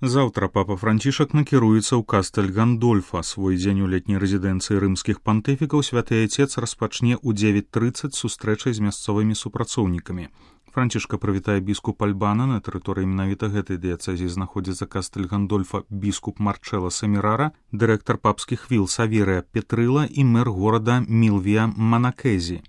Заўтра папа Францішак накіруецца ў Кастэль Гандольфа. Свой дзень у летняй рэзідэнцыі рымскіх пантыфікаў святы Айцец распачне ў 9:30 сустрэчай з мясцовымі супрацоўнікамі. Францішка прывітае біскуп Альбана. На тэрыторыі менавіта гэтай дыяцэзіі знаходзіцца Кастэль Гандольфа біскуп Марчэла Семірара, дырэктар папскіх віл Саверыя Петрыла і мэр горада Мілвія Манакэзі.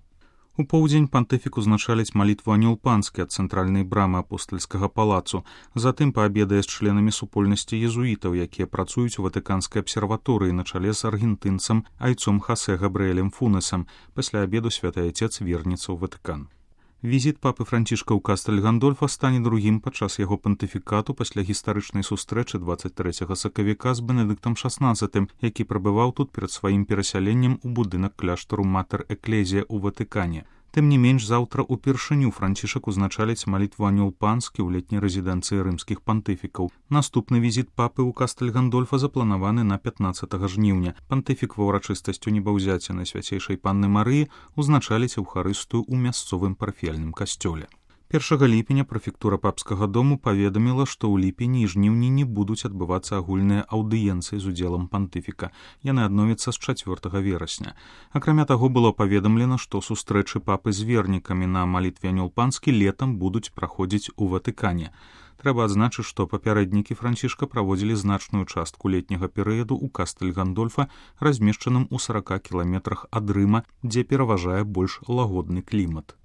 У поўдзень пантыфік узначаліць малітву анёл панскі ад цэнтральнай брамы апостальскага палацу. Затым паабедае з членамі супольнасці езуітаў, якія працуюць у ватыканскай абсерваторыі на чале з аргентынцам айцом Хасе Габрыэлем Фунесам. Пасля абеду святы Айцец вернецца ў Ватыкан. Візіт папы Францішка ў Кастэль Гандольфа стане другім падчас яго пантыфікату пасля гістарычнай сустрэчы 23 сакавіка з Бенедыктам XVI, які прабываў тут перад сваім перасяленнем у будынак кляштару Матэр Эклезія ў Ватыкане. Тым не менш, заўтра упершыню Францішак узначаліць малітву анёл панскі ў летняй рэзідэнцыі рымскіх пантыфікаў. Наступны візіт папы ў Кастэль Гандольфа запланаваны на 15 жніўня. Пантыфік ва ўрачыстасцю небаўзяцця Найсвяцейшай Панны Марыі узначаліць эўхарыстыю ў мясцовым парафіяльным касцёле. 1 ліпеня прэфектура папскага дому паведаміла, што ў ліпені і жніўні не будуць адбывацца агульныя аўдыенцыі з удзелам пантыфіка. Яны адновяцца з 4 верасня. Акрамя таго, было паведамлена, што сустрэчы папы з вернікамі на малітве анёл панскі летам будуць праходзіць у Ватыкане. Трэба адзначыць, што папярэднікі Францішка праводзілі значную частку летняга перыяду ў Кастэль Гандольфа, размешчаным у 40 кіламетрах ад Рыма, дзе пераважае больш лагодны клімат.